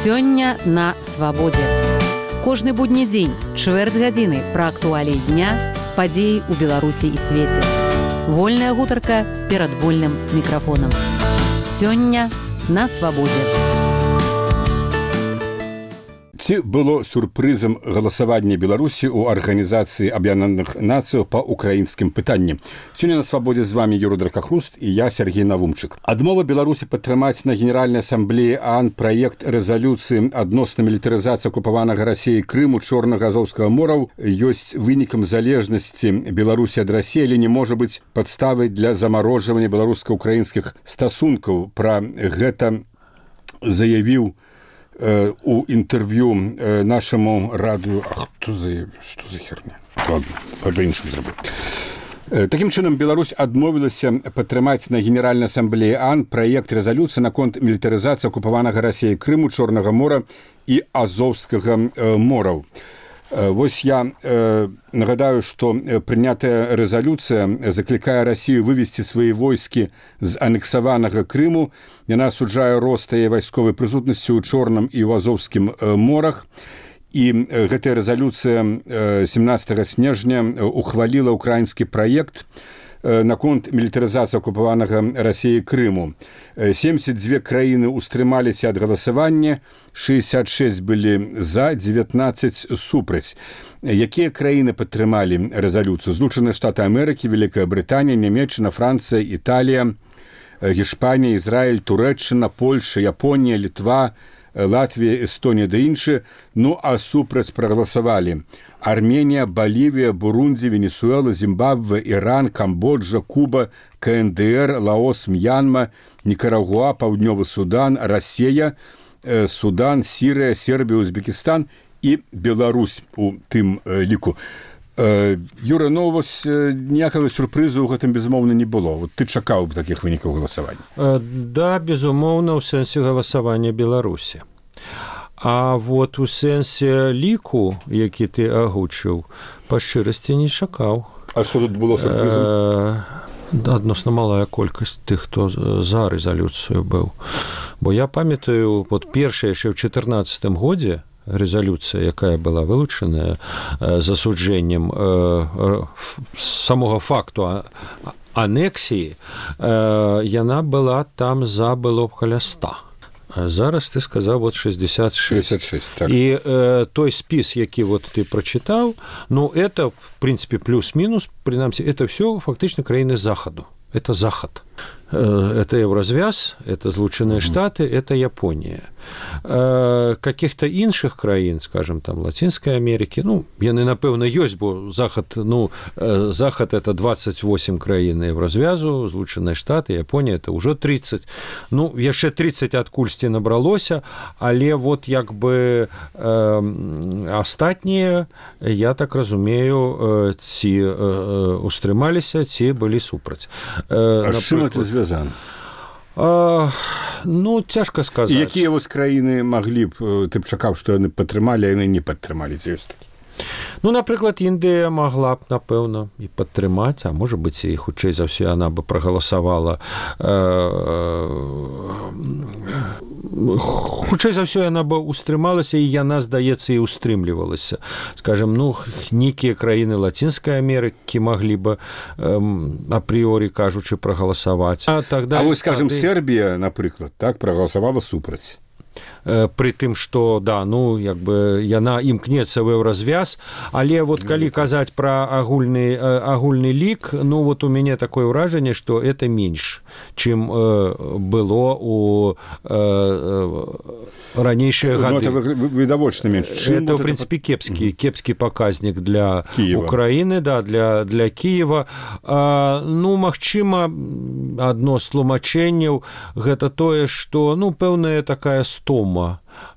Сёння на свабодзе. Кожны будні дзень, чвэрць гадзіны пра актуаліі дня, падзеі ў Беларусі і свеце. Вольная гутарка перад вольным мікрафонам. Сёння на свабодзе. Ці было сюрпрызам галасавання Беларусі ў Арганізацыі Аб'яднаных Нацыяў па украінскім пытанні. Сёння на свабодзе з вами Юрий Дракахруст і я, Сергей Навумчык. Адмова Беларусі падтрымаць на Генеральнай асамблеі ААН праект рэзалюцыі адносна мілітарызацыі акупаванага Расіяй Крыму, Чорнага, Азоўскага мораў ёсць вынікам залежнасці Беларусі ад Расіі, але не можа быць падставай для замарожвання беларуска-украінскіх стасункаў. Пра гэта заявіў у інтэрв'ю нашаму радыё. Хто заявіў? Што за херня? Ладно, па-іншаму зробіў. Такім чынам, Беларусь адмовілася падтрымаць на Генеральнай асамблеі ААН праект рэзалюцыі наконт мілітарызацыі акупаванага Расіяй Крыму, Чорнага мора і Азоўскага мораў. Вось я нагадаю, што прынятая рэзалюцыя заклікае Расію вывесці свае войскі з анексаванага Крыму. Яна асуджае рост яе вайсковай прысутнасці ў Чорным і ў Азоўскім морах. І гэтая рэзалюцыя 17 снежня ухваліла ўкраінскі праект наконт мілітарызацыі акупаванага Расіяй Крыму. 72 краіны ўстрымаліся ад галасавання, 66 былі за, 19 супраць. Якія краіны падтрымалі рэзалюцыю? Злучаныя Штаты Амерыкі, Вялікая Брытанія, Нямецчына, Францыя, Італія, Гішпанія, Ізраіль, Турэччына, Польша, Японія, Літва, Латвія, Эстонія да іншыя. Ну а супраць прагаласавалі Арменія, Балівія, Бурунді, Венесуэла, Зімбабве, Іран, Камбоджа, Куба, КНДР, Лаос, Мьянма, Нікарагуа, Паўднёвы Судан, Расія, Судан, Сірыя, Сербія, Узбекістан і Беларусь у тым ліку. Юра, ну вось ніякага сюрпрызу ў гэтым, безумоўна, не было. Вот ты чакаў б такіх вынікаў галасавання? Да, безумоўна, у сэнсе галасавання Беларусі. А вот у сэнсе ліку, які ты агучыў, па шчырасці не чакаў. А што тут было сюрпрызам? Адносна малая колькасць тых, хто за рэзалюцыю быў. Бо я памятаю, вот першая яшчэ ў 2014 годзе рэзалюцыя, якая была вылучаная засуджэннем самога факту анексіі, яна была там за было каля 100. Зараз ты сказаў вот 66. 66, так. І той спіс, які вот ты прачытаў, ну это в принципе плюс-мінус, прынамсі это все фактычна краіны захаду. Это захад. Это Евразвяз, это Злучаныя Штаты, это Япония. Каких-то іншых краін, скажем, там, Латинской Америки, ну, яны, напэўна, ёсць, бо захад, ну, захад это 28 краін Евразвязу, Злучаныя Штаты, Япония это ўжо 30. Ну, яшчэ 30 адкульсьці набралося, але вот як бы астатнія, я так разумею, ці устрымаліся, ці былі супраць. А з чым это звязана? Ну, цяжка сказаць. І якія вось краіны маглі б, ты б чакаў, што яны падтрымалі, а яны не падтрымалі, ці ёсць такі? Ну, напрыклад, Індыя магла б, напэўна, і падтрымаць, а можа быць, і хутчэй за ўсё яна бы прагаласавала. Хутчэй за ўсё яна бы устрымалася, і яна, здаецца, і устрымлівалася. Скажем, ну, нейкія краіны Латинскай Амерыкі маглі бы апрыёрі, кажучы, прагаласаваць. А вось, скажем, Сербія, напрыклад, так, прагаласавала супраць. Пры тым, што, да, ну, як бы яна імкнецца ў Еўразвяз, але вот калі казаць пра агульны лік, ну, вот у мяне такое ўражанне, што это менш, чым было у ранейшыя гады. Ну, это відавочна менш. Это, в принципе, кепскі паказнік для Украіны, да, для Кіева. Ну, магчыма, адно з тлумачэнняў гэта тое, што, ну, пэўная такая стома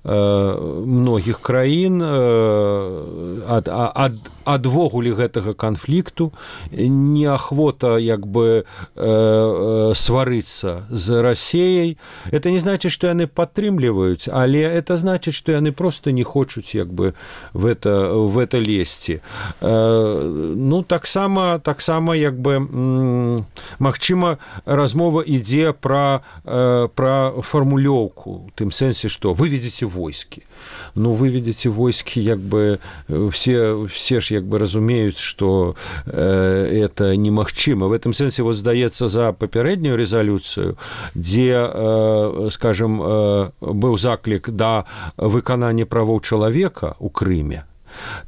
многіх краін адвогуле гэтага канфлікту, неахвота як бы сварыцца з Расіяй. Это не значит, што яны падтрымліваюць, але это значит, што яны просто не хочуць як бы в это лезці. Ну, таксама як бы магчыма размова ідзе пра фармулёўку, у тым сэнсе, што выведзіце выведите войски. Ну, выведите войски, як бы, все ж, як бы, разумеюць, што это немагчыма. В этом сэнсе, вот, здаецца, за папярэднюю рэзалюцыю, дзе, скажем, быў заклік да выканання правоў чалавека ў Крыме,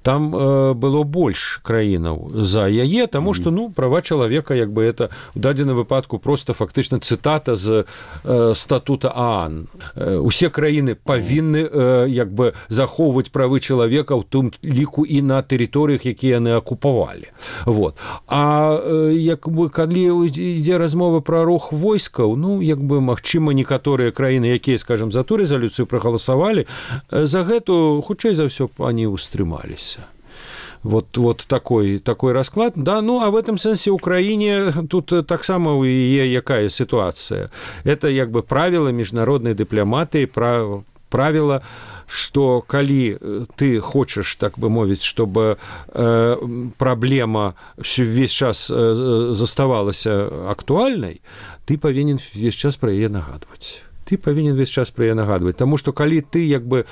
там было больш краінаў за яе, таму што, ну, права чалавека, як бы, это у дадзеным выпадку просто фактычна цытата з статута ААН. Усе краіны павінны, як бы, захоўваць правы чалавека, у тым ліку і на тэрыторыях, якія яны акупавалі. Вот. А як бы, калі ідзе размова пра рух войскаў, ну, як бы, магчыма, некаторыя краіны, якія, скажем, за ту рэзалюцыю прагаласавалі, за гэту, хутчэй за ўсё, они устрымалі. Вот такой расклад. Да, ну, а в этом сенсе Украине тут так само у яе якая ситуация. Это, як бы, правила международной дипломатии, правила, что калі ты хочешь, так бы мовіць, чтобы проблема весь час заставалась актуальной, ты повинен весь час про яе нагадывать. Потому что калі ты, як бы,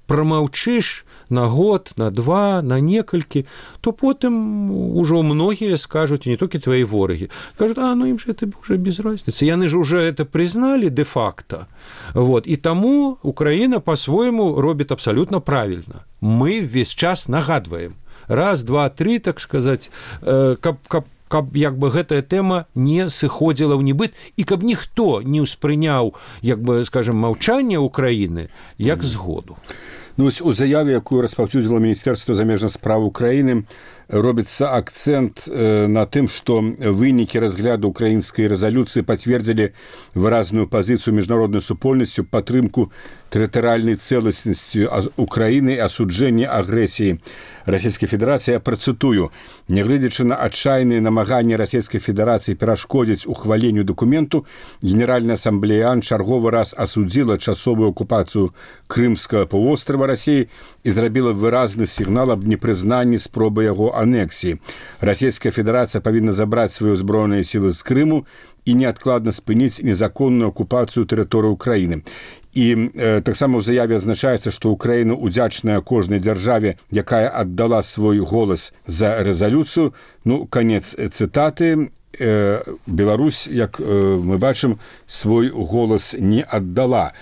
промаўчыш на год, на два, на некалькі, то потым ужо многія скажуць, не толькі твои ворагі, скажут, ну им же это уже без разницы. Яны же уже это признали де-факто. Вот. И тому Украина по-своему робит абсолютно правильно. Мы весь час нагадываем. Раз, два, три, так сказать, каб як бы гэтая тэма не сыходзіла ў небыт і каб ніхто не ўспрыняў, як бы, скажем, маўчанне Украіны як згоду. Ну, у заяве, якую распаўсюдзіла Міністэрства замежных спраў Украіны, робіцца акцэнт на тым, што вынікі разгляду украінскай рэзалюцыі пацвердзілі выразную пазіцыю міжнароднай супольнасцю падтрымку тэрытарыяльнай цэласнасці Украіны і асуджэння агрэсіі Расійскай Федэрацыі. Я працытую: нягледзячы на адчайныя намаганні Расійскай Федэрацыі перашкодзіць ухваленню дакументу, Генеральная асамблея ААН чарговы раз асудзіла часовую акупацыю Крымскага паўвострава Расіі і зрабіла выразны сігнал аб непрызнанні спробы яго анексіі. Расійская Федэрацыя павінна забраць свае ўзброеныя сілы з Крыму і неадкладна спыніць незаконную акупацыю тэрыторыі Украіны. І таксама ў заяве адзначаецца, што Украіна удзячная кожнай дзяржаве, якая аддала свой голас за рэзалюцыю. Ну, канец цытаты. Беларусь, як мы бачым, свой голас не аддала.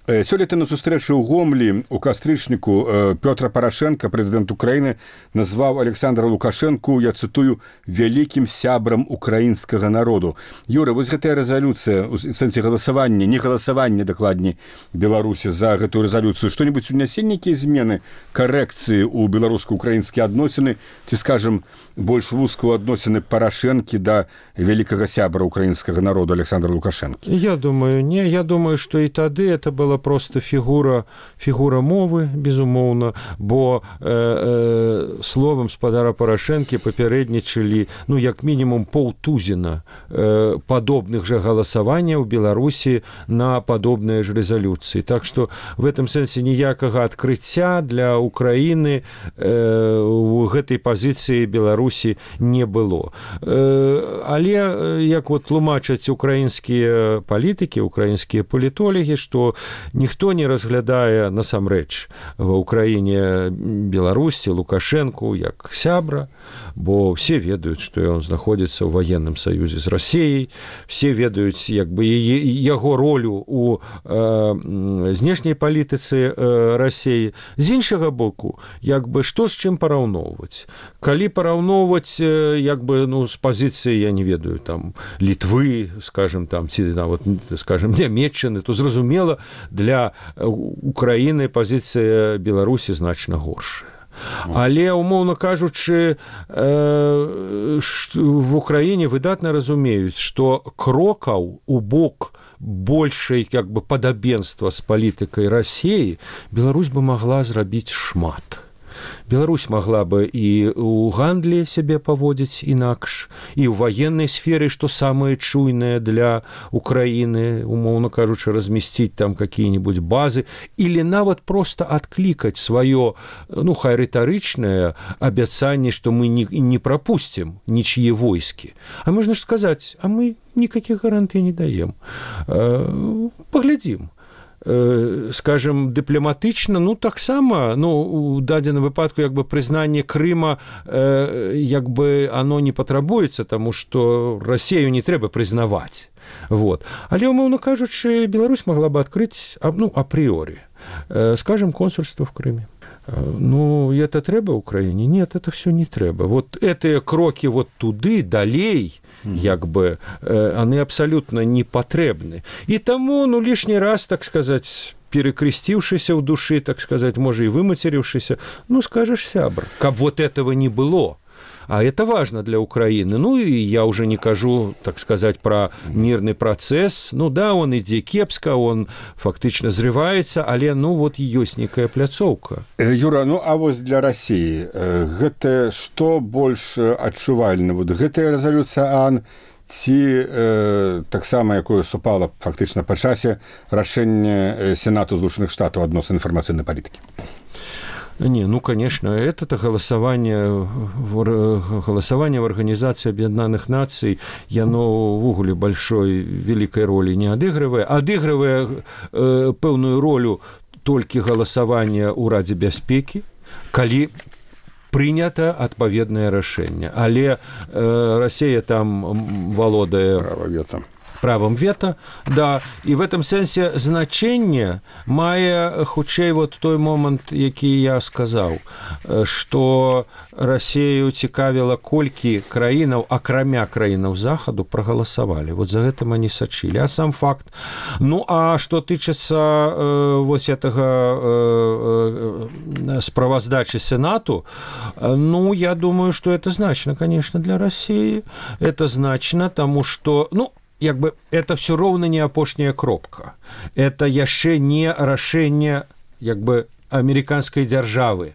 Сёлета на сустрэчы ў Гомлі у кастрычніку Пётр Парашенко, прэзідэнт Украіны, назваў Александра Лукашэнку, я цытую, вялікім сябрам украінскага народу. Юра, вось гэтая рэзалюцыя, у сэнсе галасавання, не галасавання, дакладней, Беларусі за гэтую рэзалюцыю, што-небудзь унясе нейкія змены, карэкцыі ў беларуска-украінскія адносіны, ці, скажам, больш вузкую адносіны Парашэнкі да вялікага сябра украінскага народу Александра Лукашэнкі? Я думаю, не. Я думаю, што і тады это была просто фігура мовы, безумоўна, бо словам спадара Парашэнкі папярэднічалі, ну, як мінімум паўтузіна падобных жа галасаванняў у Беларусі на падобныя ж рэзалюцыі. Так што в этом сэнсе ніякага адкрыцця для Украіны у гэтай пазіцыі Беларусі не было. Але, як вот тлумачаць украінскія палітыкі, украінскія палітолагі, што ніхто не разглядае насамрэч ва ўкраіне Беларусі Лукашэнку як сябра, бо все ведаюць, што ён знаходзіцца ў ваенным саюзе з Расіяй, все ведаюць, як бы, яго ролю у знешняй палітыцы Расіі. З іншага боку, як бы, што з чым параўноўваць? Калі параўноўваць, як бы, ну, з пазіцыі, я не ведаю, там, Літвы, скажем, там, ці нават, скажем, Нямецчыны, то зразумела, для Украіны пазіцыя Беларусі значна горшая. Але, умоўна кажучы, в Украіне выдатна разумеюць, што крокаў у бок большай, як бы, падабенства з палітыкай Расіі Беларусь бы магла зрабіць шмат. Беларусь могла бы і ў гандлі сябе паводзіць інакш, і ў ваеннай сферы, што самае чуйнае для Украіны, умоўна кажучы, размесціць там какие-нибудь базы, или нават просто адклікаць сваё, ну, хай рытарычнае абяцанне, што мы не пропустим нічьи войскі. А можна ж сказаць, а мы никаких гарантый не даем. Поглядим. скажем, дыпламатычна, ну таксама, ну у дадзеным выпадку як бы прызнанне Крыма як бы оно не патрабуецца, таму што Расію не трэба прызнаваць. Вот. Але, умоўна кажучы, Беларусь могла бы открыть, ну, априори, скажем, консульство в Крыме. Ну, это трэба Украине? Нет, это все не трэба. Вот эти кроки вот туды, далей, як бы, они абсолютно не патрэбны. И тому, ну, лишний раз, так сказать, перекрестившийся в души, так сказать, может, и выматерившийся, ну, скажешь, сябр, как вот этого не было. А это важно для Украины. Ну, и я уже не кажу, так сказать, про мирный процесс. Ну, да, он ідзе кепска, он фактично зрываецца, але, ну, вот ёсць некая пляцоўка. Юра, ну, а вось для России гэта што больш адчувальна? Вот гэтая резолюция ААН ці таксама, якое супала фактычна па часе рашэнне Сенату Злучаных Штатаў адносно інфармацыйнай палітыкі? Не, ну, конечно, это голосование в Организации Объединенных Наций, яно в угле большой, великой роли не адыгрывае пэўную ролю толькі голосования ў Радзе бяспекі, калі прынята адпаведнае рашэнне. Але Россия там валодае правом вето, да, и в этом сенсе значение мае хутчэй вот той момент, які я сказаў, что Россию цікавіла, колькі краінаў, акрамя краінаў захаду, проголосовали. Вот за гэтым они сачылі. А сам факт. Ну, а что тычыцца вот этого справаздачи Сенату, ну, я думаю, что это значно, конечно, для России. Это значно, тому что, ну, як бы это все роўна не апошняя кропка. Это яшчэ не рашэнне як бы амерыканскай дзяржавы.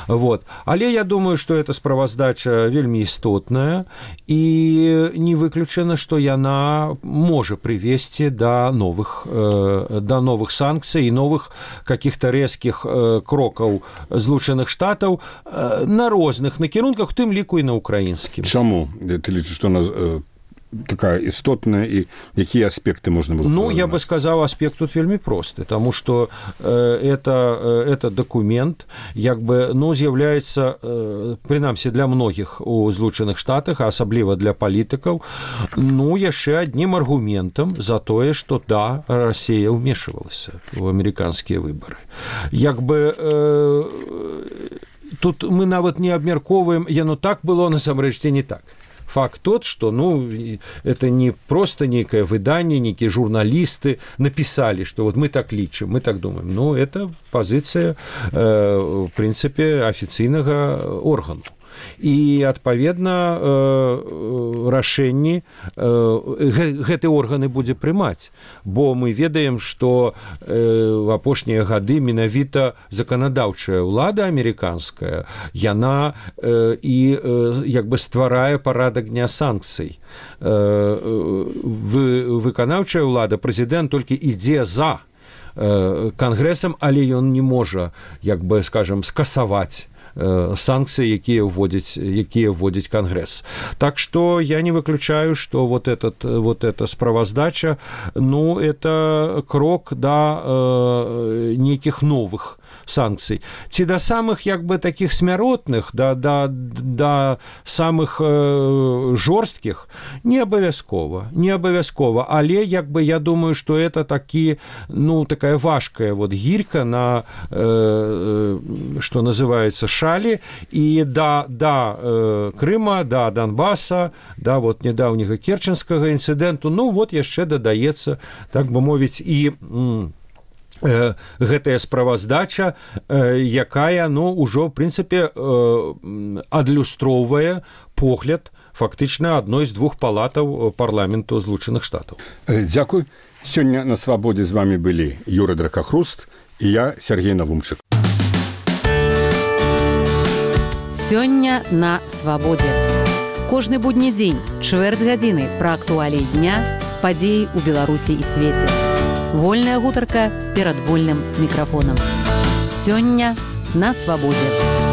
Вот. Але я думаю, что эта справаздача вельмі істотная, і не выключана, што яна можа прывесці да новых санкцый і новых каких-то рэзкіх крокаў Злучаных Штатаў на розных накірунках, у тым ліку і на украінскім. Чаму? Ты лічыш, што нас такая істотная, і якія аспекты можна было? Ну, я бы сказал, аспект тут вельмі просты, тому что это документ, як бы, ну, з'яўляецца, прынамсі для многіх у Злучаных Штатах, а асабліва для палітыкаў, ну, яшчэ аднім аргументам за тое, што да, Россия ўмешвалася ў амерыканскія выбары. Як бы тут мы нават не абмяркоўваем, яно так было, насамрэч, ці не так. Факт тот, что, ну, это не просто некое выдание, некие журналисты написали, что вот мы так лічым, мы так думаем. Ну, это позиция, в принципе, офіцыйнага органу. І, адпаведна, рашэнні гэты органы будзе прымаць, бо мы ведаем, што в апошнія гады менавіта заканадаўчая ўлада амерыканская, яна і як бы стварае парадак дня санкцый. Выканаўчая ўлада, прэзідэнт толькі ідзе за кангрэсам, але ён не можа, як бы, скажем, скасаваць санкции, якія вводзіць Конгресс. Так что я не выключаю, что вот эта справаздача, ну, это крок до неких новых санкций. Ці до самых, як бы, таких смяротных, до самых жорсткіх, не обовязково, але, як бы, я думаю, что это такі, ну, такая важкая вот гирька на, что называется, шалі, и до Крыма, до Донбасса, до вот недавнего Керченского инциденту, ну, вот яшчэ дадаецца, так бы мовіць, і гэтая справаздача, якая, ну, ужо, в принципе, адлюстроўвае погляд фактычна адной з двух палатаў парламенту Злучаных Штатаў. Дзякуй. Сёння на свабодзе з вами былі Юра Дракахруст і я, Сергей Навумчык. Сёння на свабодзе. Кожны будні дзень, чвэрць гадзіны пра актуаліі дня, падзеі ў Беларусі і свеце. Вольная гутарка перад вольным мікрафонам. Сёння на свабодзе.